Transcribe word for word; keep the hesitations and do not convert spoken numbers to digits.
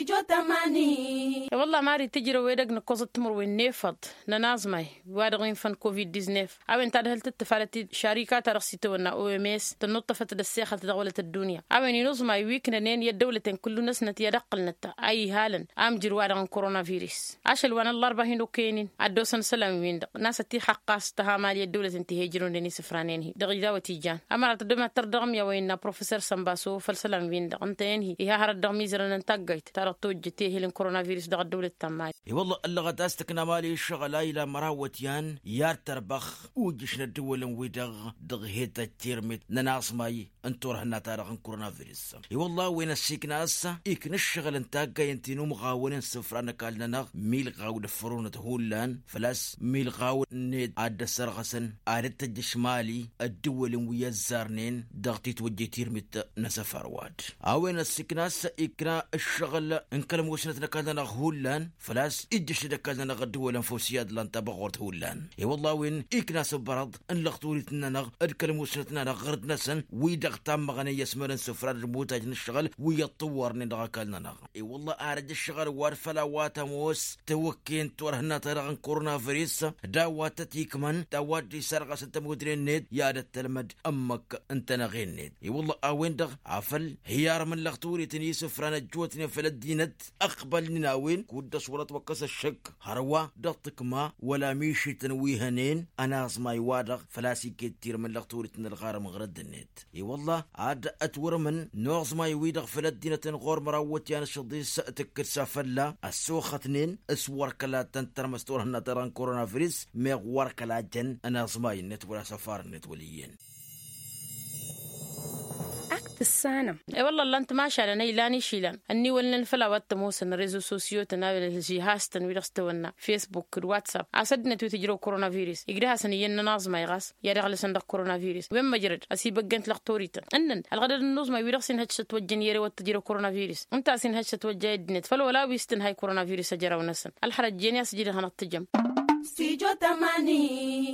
I-wălla mari tǝjrăw edăgg nǝkkoẓăt timǝrwen n-efăḍ n-ănaẓmay wa-dăɣ infăn covid-diznef a-wen tadhǝlt d-tǝfalăt-dd šarika-ta-dăɣ s-itawănna oms tănnuṭṭăfăt d-ăssexălt dăɣ-wălăt ăddunya a-wen inuẓmay wi ǝknănen i-ăddăwlăten kullu-năsnăt i-ad-ăqqǝlnăt a ihalăn amjǝr-wa-dăɣ n-koronavirus. Ašăl wa n-ăllarba hin-okăyăn-in ad-dd-osăn isălan-win-dăɣ n-asăt ixaqqas tăhamali ăddăwlăten ti he-ǝjrăwnen isǝfranen-hi dăɣ-idawăt ijan ămărat ăddămat tărdăɣăm i-a-wa innă professer sănbaso făll-isălan-win-dăɣ ǝntăyăn-hi iha hărăt dăɣ-imizărăn n-taggayt ta dăɣ-tojjăt ehel n-koronavirus dăɣ-ăddăwlăt ta n-mali. I-wălla ăllăɣăt a-s tǝkna mali ǝššăɣǝl a ila măraw iwătyan i-ad-tărbăx ujǝš n-ăddăwălăn-wi-dăɣ dăɣ-hed tăjtirmit n-ănaẓmay n-turhǝnna-ta-dăɣ n-koronavirus. I-wălla a-wen ăssiikna a-s ikna ǝššăɣǝl n-taggayăn ti n-umɣawăn n-isǝfra n-ăkall-nănăɣ milɣaw d-ăffărunăt hullan făl-a-s milɣaw-net ad-dd-ăssărɣăsăn ad-dd-tăjjăš mali ăddăwălăn wi ăzzarnen dăɣ-titwăjjăy tirmit n-asăfar wa-dd. A-wen ăssiikna a-s ikna ǝššăɣǝl n-kăl-musnăt n-ăkall-nănăɣ hullan făl-a-s ijjăš-dd ăkall-nănăɣ ăddăwălăn făw s-i-ad-lan tabăɣurt hullan. I-wălla a-wen ikna asǝbbărăḍ n-lăxturit-nănăɣ d-kăl-musnăt-nănăɣ ɣǝrǝd-năsăn wi-dăɣ tammăɣnen i-ăsmărăn s-ǝfrad d-imutaj n-ǝššăɣǝl wi ăṭṭǝwwărnen dăɣ-ăkall-nănăɣ. I-wălla arăj ǝššăɣǝl wa d-făll-a-wa tămoos tewăkken turhǝnna-ta-dăɣ n-koronavirus d-a-wa tăt-ikmăn d-a-wa dd-isărɣăsăn tămudre-net i-ad-ăttălmăd ǝmmǝk n-tenăɣe-net. I-wălla a-wen-dăɣ afăl hi-armǝn lăxturit n-isǝfra n-ăjjootnen făll-ăddinăt ăqbălnen a-wen kud-dăɣ s-wăr-ătwăkkăs ăššăk hărwa dăɣ-tǝkma wăla mišităn wi hănen ănaẓmay-wa-dăɣ făl-a-s iket tirmǝn lăxturit n-ălɣarăm ɣărădd-net. I-wălla ad-ătwărmǝn n-uẓmay-wi-dăɣ făll-ăddinăt n-ɣur-măraw iwătyan ašăḍis tǝkkǝd s-afălla ăssoxătnen s-wăr kăla tăn-tărmăs turhǝnna-ta-dăɣ n-koronavirus meɣ wăr kăla jăn ănaẓmay-net wăla asăfar-net wăl' iyyăn. Ak tǝssanăm. I-wălla ǝllan-t mašalăn a ilan išilan ănniwălnen făll-a-wa t-ămoosăn rezo sosyo-tăn a-wen ălžihaz-tăn wi-dăɣ s-tawănna facebook d-whatsapp a-s ăddinăt wi tǝjrăw koronavirus igdăh-asăn iyyăn n-ănaẓmay ɣas i-ad-ăɣlăsăn dăɣ-koronavirus wen măjrăd ăsibăggăn-t lăxturităn ǝnnăn ălɣădăd n-inuẓmay wi-dăɣ s-inhăj s-ătwăjjăn i-erewăt tǝjrăw koronavirus ǝnta a-s inhăj s-ătwăjja i-ăddinăt făll-wăla wi s-tǝnhay koronavirus ăjraw-năsăn ălxărăt jen i-asǝjdăɣ hanăɣ-tǝjăm. Stujo tamani.